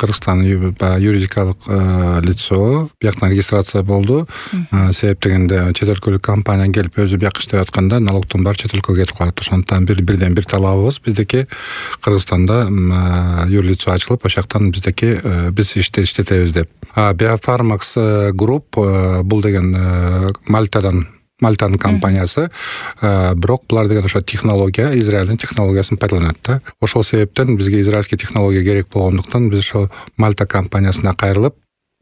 Кыргызстан юридикалык лицо, бияктан регистрация болду. Себеп дегенде чет өлкөлүк компания келип өзү бияк иштеп атканда налогдун баары чет өлкөгө кетип калат. Ошондуктан бирден бир талабыбыз биздики Кыргызстанда юрлицо ачылып, ошол жактан биз иштетебиз деп. Biofarmax Group бул деген Мальтанын компаниясы, бирок булар деген ошо технология, Израилдин технологиясын пайдаланат да. Ошол себептен бизге израильский технология керек болгондуктан биз ошо Мальта компаниясына кайрылып,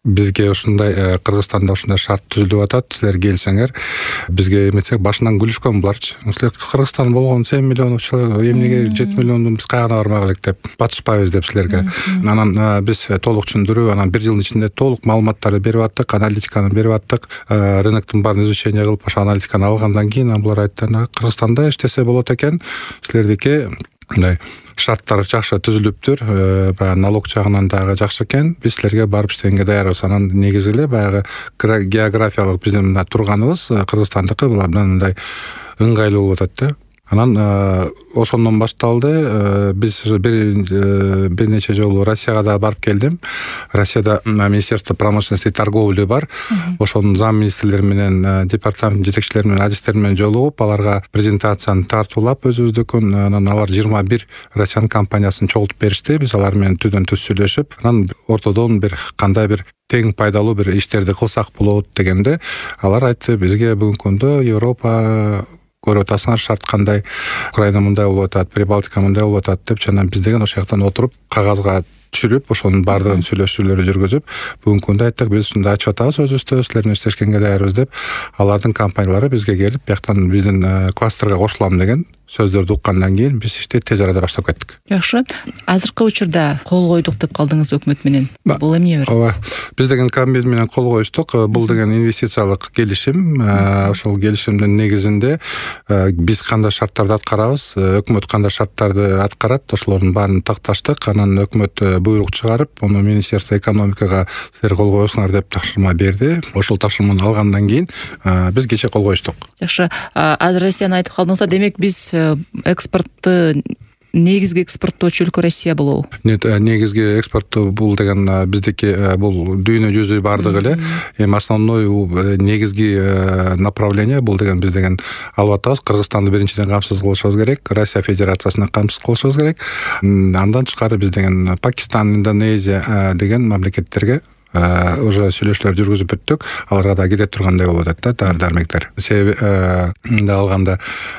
бизге ушундай Кыргызстанда ушундай шарт түзүлүп атат, силер келсеңер, бизге эметсек башынан күлүшкөн буларчы. Силер Кыргызстан болгон 7 миллион человек, эмнеге 7 миллиондун биз кайгана бармак элек деп батышпайбыз деп силерге. Анан биз толук түшүндүрүп, анан 1 жылдын ичинде толук маалыматтарды берип аттык, аналитиканы берип аттык, рыноктун баарын изучение кылып, ошо аналитиканы алгандан кийин булар айтты, Кыргызстанда иштесе болот экен, силердики мындай шарттар жакшы түзүлүптүр, баягы налог жагынан дагы жакшы экен, биз силерге барып иштегенге даярбыз. Анан негизи эле баягы географиялык биздин мына турганыбыз Кыргызстандыкы мындай ыңгайлуу болуп атат да. Анан ошондон башталды. Биз бир нече жолу Россияга да барып келдим. Россияда Министерство промышленности и торговли бар. Ошонун зам министрлери менен, департамент жетекчилери менен, адистери менен жолугуп, аларга презентацияны тартуулап өзүбүздүкүн, анан алар 21 Россиянын компаниясын чогултуп беришти. Биз алар менен түздөн түз сүйлөшүп, анан ортодон бир кандай бир тең пайдалуу бир иштерди кылсак болот дегенде, алар айтты бизге бүгүнкү күндө Европа көрүп атасыңар шарт кандай, Украина мындай болуп атат, Прибалтика мындай болуп атат деп, жана биз деген ошол жактан отуруп кагазга түшүрүп, ошонун баардыгын сүйлөшүүлөрү жүргүзүп, бүгүнкү күндө айттык, биз ушундай ачып атабыз өзүбүздө, силер менен иштешкенге даярбыз деп, алардын компаниялары бизге келип, бияктан биздин кластерге кошулам деген сөздөрдү уккандан кийин биз ишти тез арада баштап кеттик. Жакшы. Азыркы учурда кол койдук деп калдыңыз өкмөт менен. Бул эмне бир? Ооба. Биз деген комбин менен кол коюштук. Бул деген инвестициялык келишим. Ошол келишимдин негизинде биз кандай шарттарды аткарабыз, өкмөт кандай шарттарды аткарат, ошолордун баарын такташтык. Анан өкмөт буйрук чыгарып, муну Министерство экономикага силер кол коесуңар деп тапшырма берди. Ошол тапшырманы алгандан кийин биз кече кол коюштук. Жакшы. Азыр Россияны айтып калдыңыздар, демек биз экспортты негизги экспорттоочу өлкө Россия болобу? Нет, негизги экспортту бул деген биздики бул дүйнө жүзү бардыгы эле. Эми основной негизги направление бул деген биз деген алып атабыз. Кыргызстанды биринчиден камсыз кылышыбыз керек, Россия Федерациясына камсыз кылышыбыз керек. Андан тышкары биз деген Пакистан, Индонезия деген мамлекеттерге уже сүйлөшүүлөр жүргүзүп бүттүк. Аларга да кете тургандай болуп атат да дары-дармектер. Себеби алганда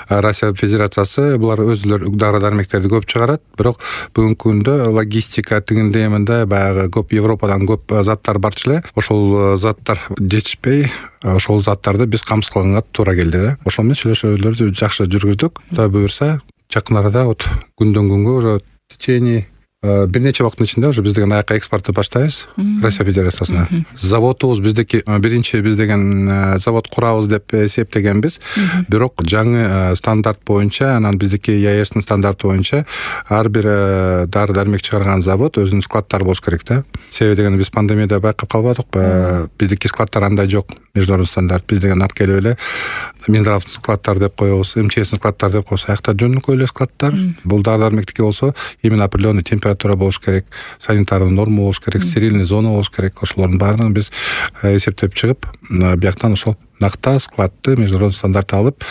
Россия Федерациясы булар өзүлөр дары-дармектерди көп чыгарат, бирок бүгүнкү күндө логистика тигинде мындай баягы көп Европадан көп заттар барчу эле. Ошол заттар жетишпей, ошол заттарды биз камсыз кылганга туура келди да. Ошол менен сүйлөшүүлөрдү жакшы жүргүздүк. Кудай буюрса, жакын арада күндөн күнгө уже в течение бир нече убакыттын ичинде уже биз деген аякка экспортты баштайбыз Россия Федерациясына. Заводубуз биздики биринчи биз деген завод курабыз деп эсептегенбиз. Бирок жаңы стандарт боюнча, анан биздики ЕАЭСтин стандарты боюнча ар бир дары-дармек чыгарган завод өзүнүн складдары болуш керек да. Себеби деген биз пандемияда байкап калбадыкпы? Биздики складдар андай жок. Международный стандарт биз деген алып келип эле Минздравдын складдары деп коебуз, МЧСтин складдары деп коебуз. Аякта жөнөкөй эле складдар. Бул дары-дармектики болсо именно определенный температура болуш керек, санитарный норма болуш керек, стерильный зона болуш керек. Ошолордун баарын биз эсептеп чыгып, бияктан ошол накта складты международный стандарт алып,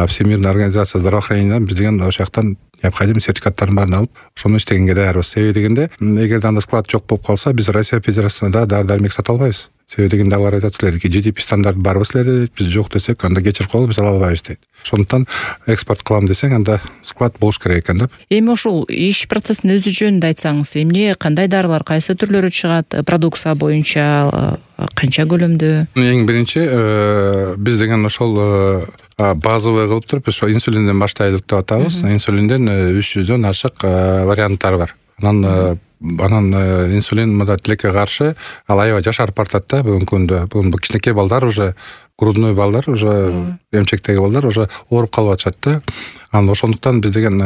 Всемирная организация здравоохранения биз деген ошол жактан необходимый сертификаттарын баарын алып, ошону иштегенге даярбыз. Себеби дегенде, эгерде анда склад жок болуп калса, биз Россия Федерациясында дары-дармек сата албайбыз. Себеби дегенде алар айтат, силердики GDP стандарт барбы силерде, биз жок десек, анда кечирип коелу, биз ала албайбыз дейт. Ошондуктан экспорт кылам десең, анда склад болуш керек экен деп. Эми ошол иш процессин өзү жөнүндө айтсаңыз, эмне, кандай дарылар, кайсы түрлөрү чыгат, продукция боюнча канча көлөмдө? Эң биринчи биз деген ошол базовый кылып туруп, ошо инсулинден баштайлык деп атабыз. Инсулинден 300дөн ашык варианттар бар. Анан инсулин мында тилекке каршы ал аябай жашарып баратат да бүгүнкү күндө. Бүгүн кичинекей балдар уже, грудной балдар уже, эмчектеги балдар уже ооруп калып атышат да. Анан ошондуктан биз деген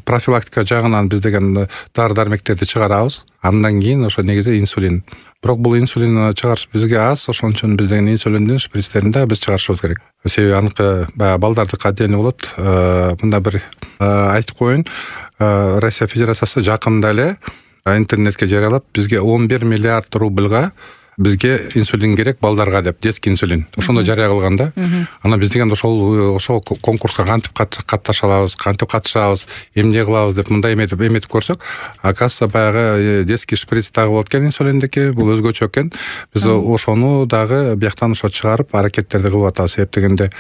профилактика жагынан биз деген дары-дармектерди чыгарабыз. Андан кийин ошо негизи инсулин. Бирок бул инсулин чыгарыш бизге аз, ошон үчүн биз деген инсулиндин шприцтерин да биз чыгарышыбыз керек. Себеби аныкы баягы балдардыкы отдельно болот. Мында бир айтып коеюн, Россия Федерациясы жакында эле интернетке жарыялап бизге 11 миллиард рубльга бизге инсулин керек балдарга деп, детский инсулин. Ошондо жарыя кылган да. Анан биз деген ошол конкурска кантип катнаша алабыз, кантип катышабыз, эмне кылабыз деп мындай эметип көрсөк, оказывается баягы детский шприц дагы болот экен инсулиндики, бул өзгөчө экен. Биз ошону дагы бияктан ошо чыгарып аракеттерди кылып атабыз. Себеп дегенде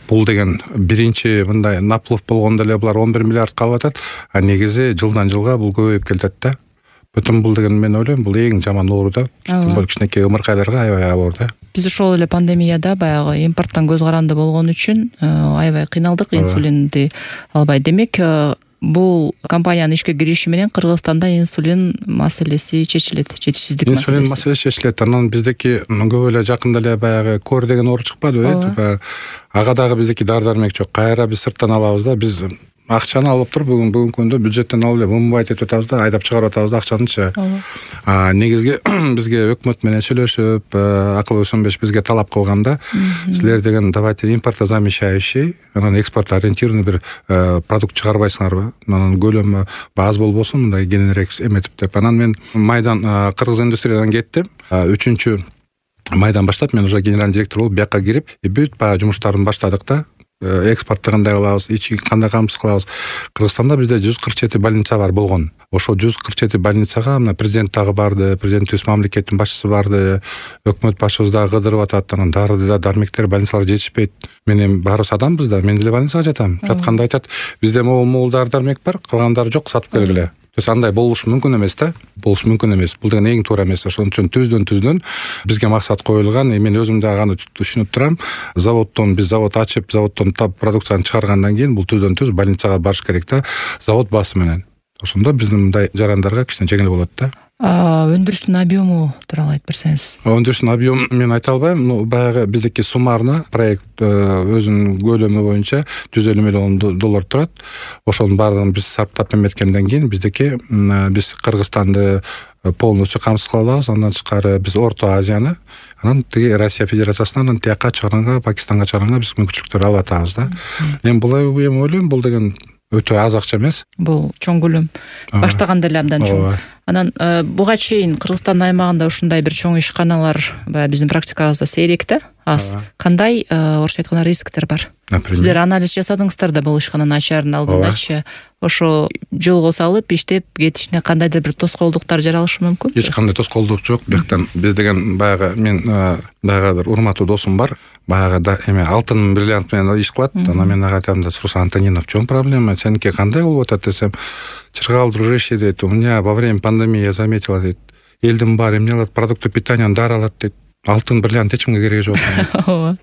бул деген биринчи мындай наплыв болгондо эле булар 11 миллиард калып атат, а негизи жылдан жылга бул көбөйүп келатат да. Бүтүн бул деген мен ойлойм, бул эң жаман оору да. Бул кичинекей ымыркайларга аябай оор да. Биз ошол эле пандемияда баягы импорттон көз каранды болгон үчүн аябай кыйналдык, инсулинди албай. Демек, бул компаниянын ишке кириши менен Кыргызстанда инсулин маселеси чечилет, жетишсиздик маселеси. Инсулин маселеси чечилет. Анан биздики көп эле жакында эле баягы кор деген оору чыкпадыбы? Ага дагы биздики дары-дармек жок. Кайра биз сырттан алабыз да. Биз акчаны алып туруп бүгүнкү күндө бюджеттен алып эле мумбайт этип атабыз да, айдап чыгарып атабыз да акчанычы. Негизги бизге өкмөт менен сүйлөшүп, акыл өсөнбөш бизге талап кылганда, силер деген давайте импортозамещающий, анан экспорт ориентированный бир продукт чыгарбайсыңарбы? Анан көлөмү аз болбосун, мындай кененирээк эметип деп. Анан мен майдан кыргыз индустриядан кеттим. 3-чү майдан баштап мен уже генеральный директор болуп бияка кирип, бүт баягы жумуштарын баштадык да. Экспортты кандай кылабыз, ички кандай камсыз кылабыз. Кыргызстанда бизде 147 больница бар болгон. Ошо 147 больницага мына президент дагы барды, президентибиз мамлекеттин башчысы барды, өкмөт башчыбыз дагы кыдырып атат. Анан дары да дармектер больницалар жетишпейт. Мен эми баарыбыз адамбыз да, мен деле больницага жатам. Жатканда айтат, бизде могул дары дармек бар, калгандары жок, сатып келгиле. То есть андай болушу мүмкүн эмес да. Болушу мүмкүн эмес. Бул деген эң туура эмес. Ошон үчүн түздөн бизге максат коюлган. Мен өзүм дагы аны түшүнүп турам. Биз завод ачып, заводдон продукцияны чыгаргандан кийин бул түз больницага барыш керек да. Завод баасы менен. Ошондо биздин мындай жарандарга кичине жеңил болот да. Өндүрүштүн объему тууралуу айтып берсеңиз. Өндүрүштүн объему мен айта албайм. Баягы биздики суммарно проект өзүнүн көлөмү боюнча $150 миллион турат. Ошонун баардыгын биз сарптап эметкенден кийин биз Кыргызстанды полностью камсыз кыла алабыз. Андан тышкары биз Орто Азияны, анан тиги Россия Федерациясынан анан тияка чыгарганга, Пакистанга чыгарганга биз мүмкүнчүлүктөр алып атабыз да. Мен бул ойлойм, бул деген өтө аз акча эмес. Бул чоң көлөм. Баштаганда эле абдан чоң. Анан буга чейин Кыргызстан аймагында ушундай бир чоң ишканалар биздин практикабызда сейрек да, аз. Кандай орусча айтканда рисктер бар? Сиздер анализ жасадыңыздар да бул ишкананын ачаарын алдындачы. Ошо жолго салып иштеп кетишине кандайдыр бир тоскоолдуктар жаралышы мүмкүн? Эч кандай тоскоолдук жок. Бияктан биз деген баягы мен баягы бир урматтуу досум бар. Баягы эме алтын бриллиант менен иш кылат. Анан мен ага айтам да, Руслан Антонинов, в чём проблема? Сеники кандай болуп атат десем, чыргал, дружище дейт, у меня во время пандемии я заметила дейт, элдин баары эмне алат, продукты питания дары алат дейт. Алтын бриллиант эч кимге кереги жок.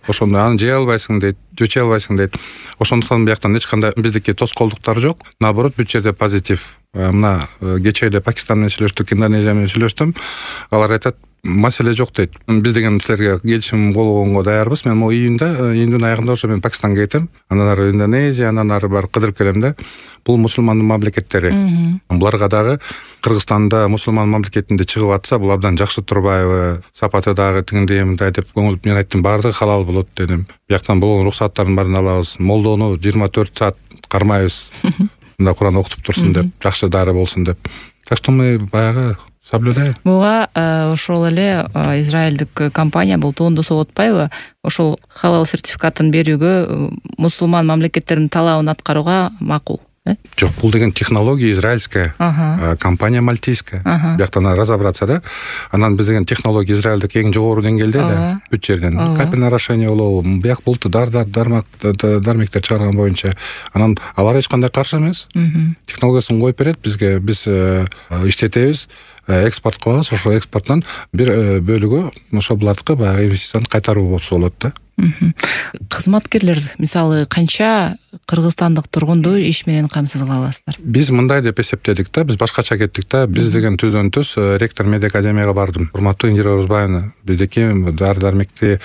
Ошондо аны жей албайсың дейт, жөчөй албайсың дейт. Ошондуктан бияктан эч кандай биздики тоскоолдуктар жок. Наоборот, бүт жерде позитив. Мына кечээ эле Пакистан менен сүйлөштүк, Индонезия менен сүйлөштүм. Алар айтат, маселе жок дейт. Биз деген силерге келишим болгонго даярбыз. Мен могу июндун аягында ошо мен Пакистанга кетем. Андан ары Индонезия, андан ары барып кыдырып келем да. Бул мусулмандын мамлекеттери. Буларга дагы Кыргызстанда мусулман мамлекетинде чыгып атса, бул абдан жакшы турбайбы? Сапаты дагы тигиндей мындай деп көңүл мен айттым, баардыгы халал болот дедим. Бияктан болгон рухсаттардын баарын алабыз. Молдону 24 саат кармайбыз. Мында Куран окутуп турсун деп, жакшы дары болсун деп. Так что мы баягы соблюдаем. Буга ошол эле израилдик компания бул тоондосо отпайбы? Ошол халал сертификатын берүүгө мусулман мамлекеттердин талабын аткарууга макул. Жок, бул деген технология израильская, компания мальтийская. Бияктан разобраться да. Анан биз деген технология израилдик эң жогору деңгээлде да, бүт жерден. Капельное орошение болобу, бияк болту дармектер чыгарган боюнча. Анан алар эч кандай каршы эмес. Технологиясын коюп берет бизге, биз иштетебиз, экспорт кылабыз, ошо экспорттон бир бөлүгү ошо булардыкы баягы инвестицияны кайтаруу болсо болот да. Кызматкерлер мисалы канча кыргызстандык тургунду иш менен камсыз кыла аласыздар? Биз мындай деп эсептедик да, биз башкача кеттик да. Биз деген түздөн түз ректор медиа академияга бардым. Урматтуу Индира Орозбаевна, биздики дары-дармекти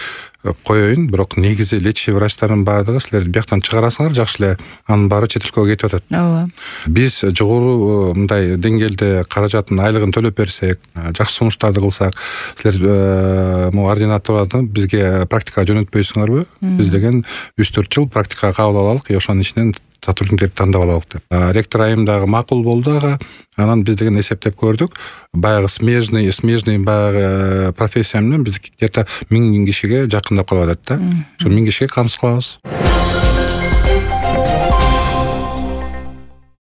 коеюн, бирок негизи лечащий врачтардын баардыгы силер бияктан чыгарасыңар, жакшы эле, анын баары чет өлкөгө кетип атат. Ооба. Биз жогору мындай деңгээлде каражатын, айлыгын төлөп берсек, жакшы сунуштарды кылсак, силер могу ординаторлордон бизге практикага жөнөтпөйсүңөрбү? Биз деген 3-4 жыл практикага кабыл алалык, ошонун ичинен сотрудниктерди тандап алалык деп. Ректор айым дагы макул болду ага. Анан биз деген эсептеп көрдүк. Баягы смежный баягы профессия менен биз где-то 1000 кишиге жакындап калып атат да. Ошо 1000 кишиге камсыз кылабыз.